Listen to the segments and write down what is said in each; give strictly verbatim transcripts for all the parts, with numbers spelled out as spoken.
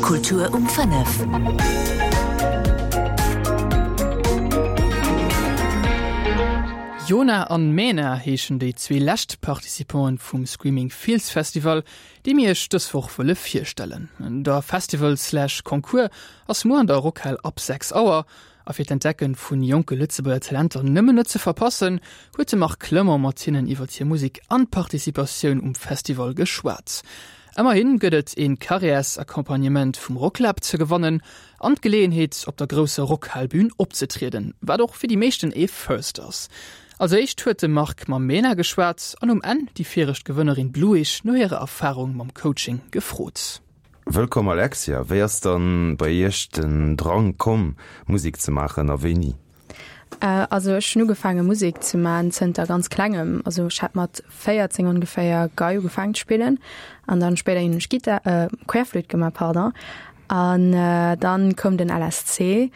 Kultur um fënnef. Jona an Mena heeschen déi zwee lescht Participanten vum Screaming Fields Festival, déi mir iech dës Woch wëlle virstellen. Der Festival slash Concours ass muer an der Rockhal ab sechs Auer a fir d'Entdecken vun jonke Lëtzebuerger Talenter nëmmen net ze verpassen, huet de Marc Clement mat hinnen iwwer hir Musek an d'Participatioun um Festival geschwat. Ëmmerhin gëtt et een Carrières-Accompagnement vum Rocklab ze gewannen an d'Geleeënheet op der grousser Rockhalbün opzetrieden, wat och fir déi meeschten ee First ass. Als éischt huet de Marc mam Mena geschwat an um Enn déi viregt Gewënnerin Bluish no hirer Erfarung mam Coaching gefrot. Wëllkomm Alexia, wéi ass dann bei iech den Drang komm Musek ze maachen a wéini? Also ech hunn ugefaange Musek ze man zënter ganz klengem. Also ech hat mat véierzéng ongeféier Gei ugefaangen ze spillen an dann spéiderhin hunn ech Gittar, Querflöte gemaach, pardon. An dann koum den L S C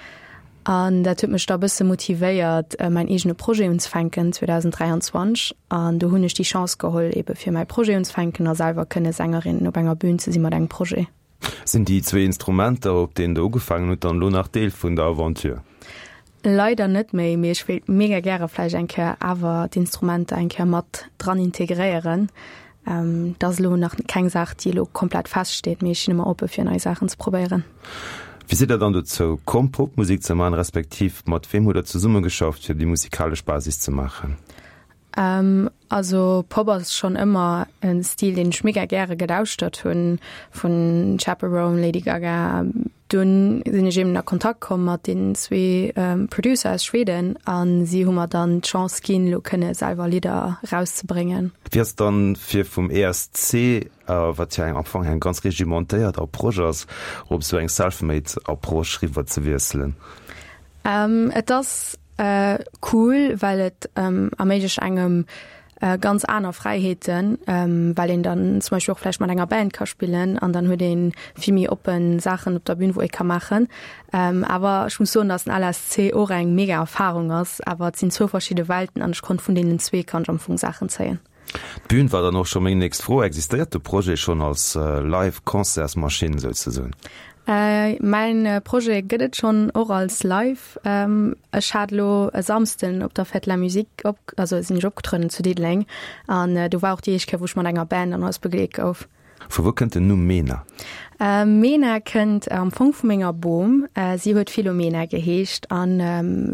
an dat huet mech da bësse motivéiert mäin eegene Projet unzefänken zweedausenddräianzwanzeg. An do hunn ech déi Chance geholl ebe fir mäi Projet unzefänken a selwer kënne Sängerin op enger Bühn ze si mat engem Projet. Sinn déi zwee Instrumenter, op deenen Der ugefaangen hutt, dann elo nach Deel vun der Aventure? Leider net méi, mee ech wéilt mega gäre vläicht eng Kéier awer d'Instrumenter eng Kéier mat dran integréieren. Dat ass elo nach keng Saach, déi elo komplett feststeet, mee ech sinn ëmmer oppe fir nei Saachen ze probéieren. Wéi sidd Der dann dozou komm, Popmusek ze maachen, respektiv mat weem hutt Der zesummegeschafft, fir déi musikalesch Basis ze maachen? Also Pop ass schonn ëmmer e Stil, deen ech mega gäre gelauschtert hunn, vun Chappell Roan, Lady Gaga. Dunn sinn ech eben a Kontakt komm mat deenen zwee Producer aus Schweden a si hu mer dann d'Chance ginn, elo kënne selwer Lidder erauszebréngen. Wéi ass et dann, fir vum E S C, wat jo eng am Fong eng ganz regimentéiert Approche ass, op esou eng self-made Approche riwwer ze wiesselen? Et ass cool, well et erméiglecht engem ganz aner Fräiheeten, well een dann zum Beispill och vläicht mat enger Band ka spillen an dann huet ee vill méi oppen Saachen op der Bühn, wou ee ka maachen. Awer ech muss soen, datt den L S C och eng mega Erfarung ass, awer et sinn zwou verschidde Welten an ech konnt vun deenen zwee kann ech am Fong Saachen zéien. D'Bühn war dann och scho meng nächst Fro. Existéiert de Projet schonn als Live-Concertsmaschinn souzesoen? Mäin Projet gëtt et schonn och als live. Ech hat elo e Samsden op der Fête de la Musique op, also sinn ech opgetrueden zu Diddeleng an do war och déi éischt Kéier, wou ech mat enger Band an alles begleet gouf. Vu wou kënnt den Numm Mena? Mena kënnt am Fong vu menger Bom. Si huet Philomena geheescht an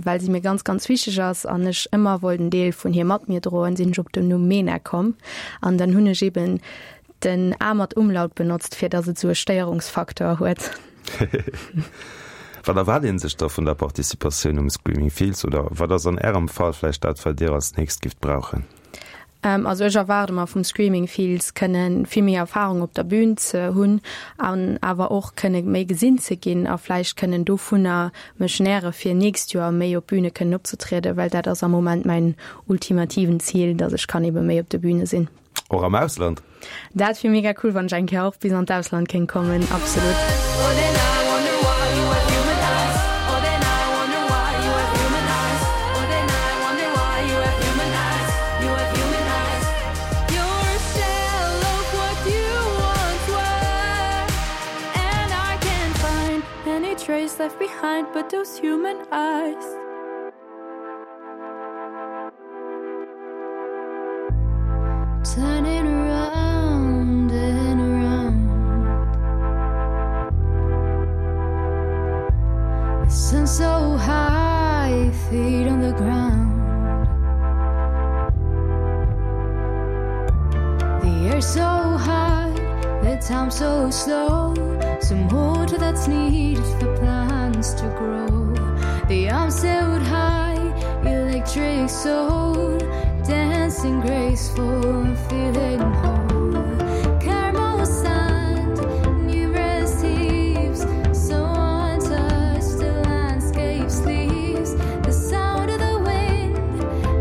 well si mir ganz, ganz wichteg ass an ech ëmmer wollt en Deel vun hir mat mir droen, sinn ech op den Numm Mena komm. An dann hunn ech eben den A mat Umlaut benotzt, fir datt et sou e Stéierungsfaktor huet. Wat erwaart een sech da vun der Participatioun um Screaming Fields oder wat ass an Ärem Fall vläicht dat, wat Dir als nächst gifft brauchen? Also ech erwaarde mer vum Screaming Fields kënne vill méi Erfarung op der Bühn ze hunn an awer och kënne méi gesinn ze ginn a vläicht kënnen dovunner mech nähre fir nächst Joer méi op Bühne kënnen opzetrieden, well dat ass am Moment mäin ultimativen Zil, datt ech kann ebe méi op de Bühne sinn. Och am Ausland? Dat wier mega cool, wann ech eng Kéier och bis an d'Ausland kéint kommen, absolut. Turning around and around. The sun so high, feet on the ground. The air so hot, the time so slow. Some water that's needed for plants to grow. The arms held high, electric soul, dancing graceful and feeling whole. Caramel sand, numerous heaps, so untouched the landscape sleeps. The sound of the wind,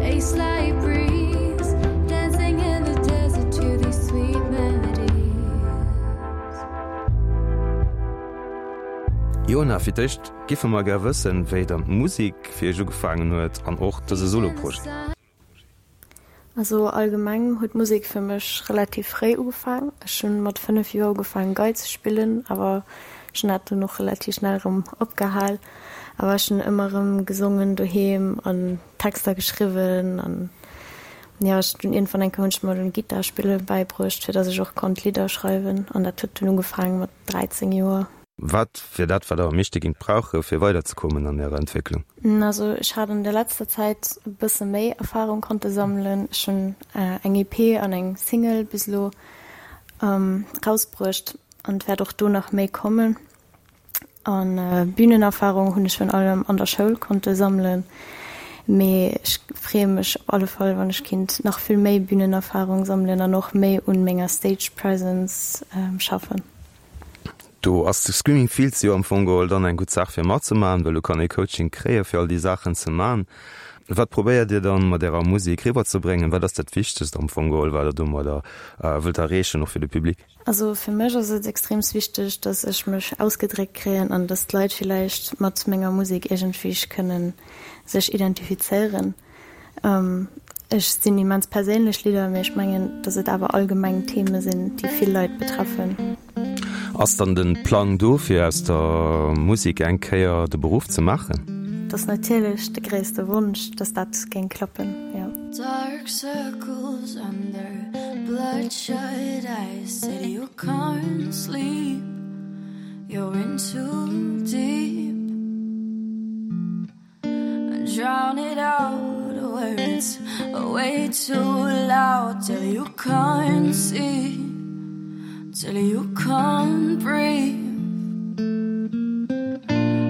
a slight breeze, dancing in the desert to these sweet melodies. Jona, fir d'éischt giffe mer gär wëssen, wéi dann d'Musek fir iech ugefaangen huet an och dëse Soloprojet. Also allgemeng huet Musek fir mech relativ fréi ugefaangen. Ech hunn mat fënnef Joer ugefaangen Gei ze spillen, awer Ech hunn dat dunn och relativ schnell erëm opgehal. Awer ech hunn ëmmer erëm gesongen doheem an Texter geschriwwen an jo, ech dunn iergendwann eng Kéier hunn ech mer dunn Gittar spille bäibruecht, fir datt ech och konnt Lidder schreiwen an dat huet dunn ugefaange mat dräizéng Joer. Wat wier dat, wat Der am meeschte géingt brauche fir weiderzekommen an Ärer Entwécklung? Also ech hat an der letzter Zäit e bësse méi Erfarung konnte sammelen. Ech hunn eng E P an eng Single bis elo rausbruecht an et wäert och do nach méi kommen. An Bünenerfarung hunn ech virun allem an der Schoul konnte sammelen. Mee ech freeë mech op alle Fall, wann ech kinnt nach vill méi Bünenerfarung sammelen an och méi un menger Stage Presence schaffen. Do ass de Screaming Fields jo am Fong geholl dann eng gutt Saach fir matzemaachen, well do kann ee Coaching kréie fir all déi Saachen ze man. Wat probéiert Dir dann mat Ärer Musek riwwerzebréngen? Wat ass dat Wichtegst am Fong geholl, wat Der domadder wëllt erreechen, och fir de Public? Also fir mech ass et extreem wichteg, dass ech mech ausgedréckt kréien an dass d'Leit villäicht mat menger Musek iergendwéi kënnen sech identifizéieren. Ech sinn immens perséinlech Lidder, mee ech mengen, dass et awer allgemeng Theme sinn, déi vill Leit betreffen. Ass dann de Plang do, fir aus der Musek eng Kéier de Beruff ze maachen? Dat ass natierlech de gréisste Wonsch, dass dat géing klappen, jo. Dark circles under bloodshot eyes Said you can't sleep, you're in too deep Drown it out, words are way too loud Till you can't see, till you can't breathe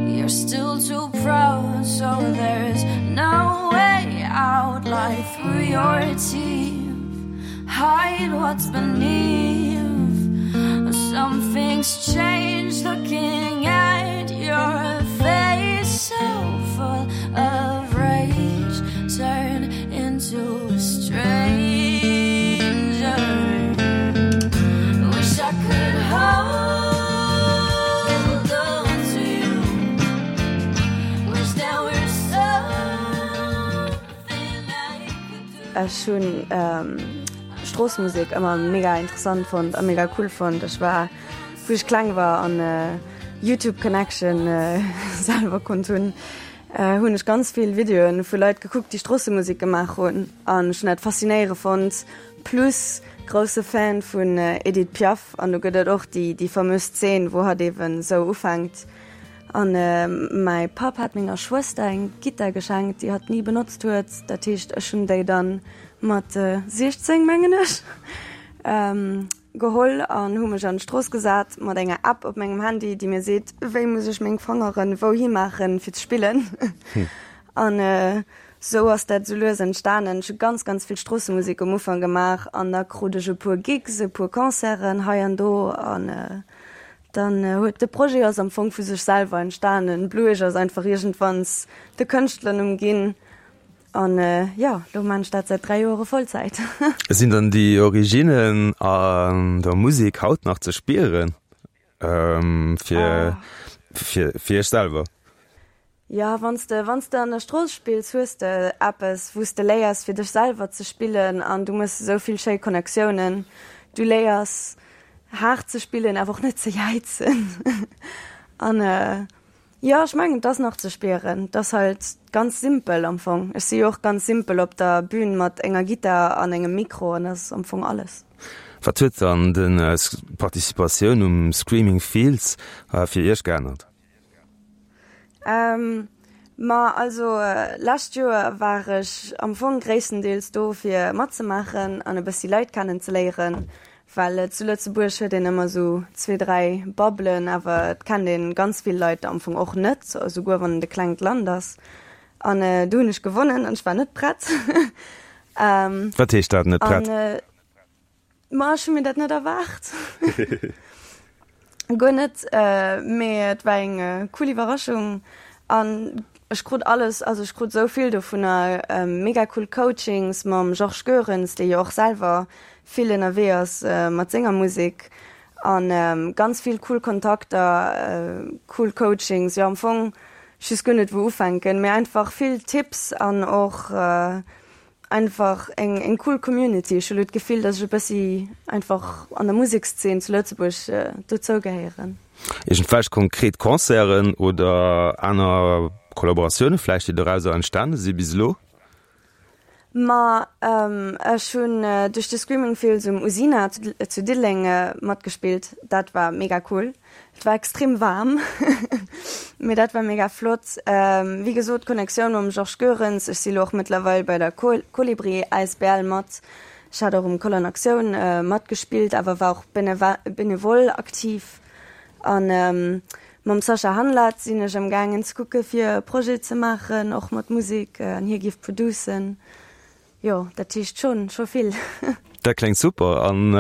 You're still too proud, so there's no way out Lie through your teeth, hide what's beneath Something's changed looking at your face So full of rage, turn into a stranger Wish I could hold on to you Wish there were something I could do Ech hunn Stroossemusek ëmmer mega interessant fonnt a mega cool fonnt. Ech war, wou ech kleng war an YouTube Connection selwer konnt hunn, hunn ech ganz vill Videoen vu Leit gekuckt, déi Stroossemusek gemaach hunn an ech hunn dat faszinéierend fonnt. Plus grousse Fan vun Edith Piaf an do gëtt et och déi déi famös Zeen, wou hatt eben sou ufänkt. An mäi Papp hat menger Schwëster eng Gittar geschenkt, déi hatt ni benotzt huet. Dat heescht, ech hunn déi dann mat siechzéng, mengen ech, geholl an hu mech an d'Strooss gesat mat enger App op mengem Handy, déi mir seet, wéi muss ech meng Fangeren wouhi maachen, fir ze spillen. An sou ass dat sou lues entstanen. Ech hu ganz, ganz vill Stroossemusek um Ufank gemaach an da krut ech e puer Gigs, e puer Concerten hei an do an dann huet de Projet ass am Fong vu sech selwer entstanen. Bluesch ass einfach iergendwanns de Kënschtlernumm ginn an jo, lo maan ech dat säit dräi Joere Vollzäit. Sinn dann déi Originnen an der Musek haut nach ze spieren fir fir fir iech selwer? Jo, wann s de wann s de an der Strooss spills, hues de eppes, wou s de léiers fir dech selwer ze spillen an du mëss esou vill schéi Connectiounen. Du léiers haart ze spillen, awer och net ze jäizen an jo, ech mengen et ass nach ze spieren. Et ass halt ganz simpel am Fong. Ech si jo och ganz simpel op der Bühn mat enger Gittar an engem Mikro an dat ass am Fong alles. Wat huet dann d'Participatioun um Screaming Fields fir Iech geännert? Ma also lescht Joer war ech am Fong gréisstendeels do fir matzemaachen an e bëssi Leit kennen ze léieren, well zu Lëtzebuerg huet een ëmmer sou zwee, dräi Bubbelen, awer et kennt een ganz vill Leit am Fong och net, esouguer wann et e klengt Land ass. An do hunn ech gewonnen an ech war net prett. Wat heescht dat, net prett? Ma ech hu mir dat net erwaart. Guer net, mee et war eng cool Iwwerraschung an ech krut alles, also ech krut esou vill dovunner, mega cool Coachings mam Georges Goerens, dee jo och selwer vill ënnerwee ass mat senger Musek an ganz vill cool Kontakter, cool Coachings, jo am Fong ech weess guer net wou ufänken, mee einfach vill Tipps an och einfach eng eng cool Community. Ech hu lo d'Gefill, dass ech e bëssi einfach an der Musekszeen zu Lëtzebuerg dozou gehéieren. Iergendwelch konkret Concerten oder aner Kollaboratioune vläicht, déi dorauser entstane si bis elo? Ma ech hunn duerch de Screaming Fields um Usina zu Diddeleng matgespillt. Dat war mega cool. Et war extrem waarm, mee dat war mega flott. Wéi gesot, d'Connectioun mam Georges Goerens. Ech si lo och mëttlerweil bei der Kolibri asbl mat. Ech hat och um Koll an Aktioun matgespillt, awer war och benevol aktiv. An mam Sascha Hanlat sinn ech am gaangen ze kucke fir e Projet ze maachen, och mat Musek, an hie géif producen. Jo, dat heescht schonn, scho vill. Dat kléngt super. An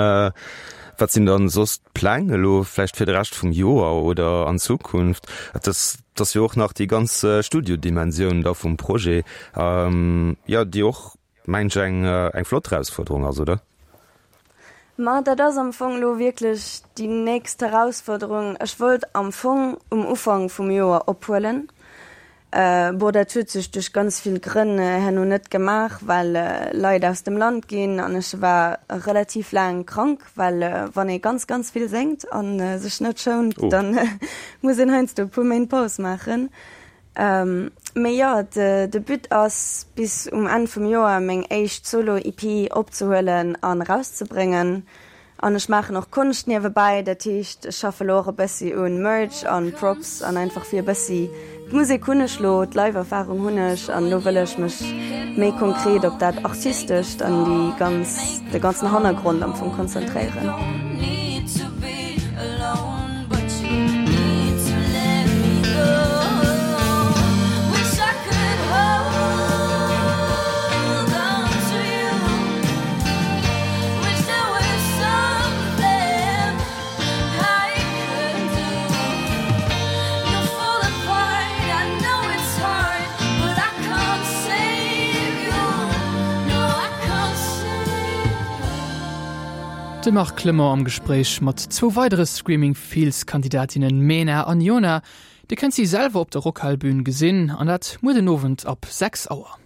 wat sinn dann soss d'Pläng elo vläicht fir de Rescht vum Joer oder an Zukunft? Et ass jo och nach déi ganz Studiodimensioun da vum Projet, jo, déi och, mengen ech, eng eng flott Erausfuerderung ass, oder? Ma dat ass am Fong elo wierklech déi nächst Erausfuerderung. Ech wollt am Fong um Ufank vum Joer ophuelen. Bon, dat huet sech duerch ganz vill Grënn herno net gemaach, well Leit aus dem Land ginn an ech war relativ laang krank, well wann ee ganz, ganz vill séngt a sech net schount, dann muss een heiansdo e puer Méint Paus maachen. Mee jo, de But ass bis um Enn vum Joer meng éischt Solo-EP opzehuelen an erauszebréngen. An ech maachen och Konscht niewebäi, dat heescht ech schaffe lo och e bëssi un Merch an Props an einfach fir e bëssi, d'Musek hunn ech lo, d'Live-Erfarung hunn ech an lo wëll ech mech méi konkret op dat Artistescht an déi ganz, de ganzen Hannergrond am Fong konzentréieren. De Marc Clement am Gespréich mat zwou weidere Screaming Fields Kandidatinnen Mena an Jona. Dir kënnt si selwer op der Rockhal-Bün gesinn, an dat muer den Owend ab sechs Auer.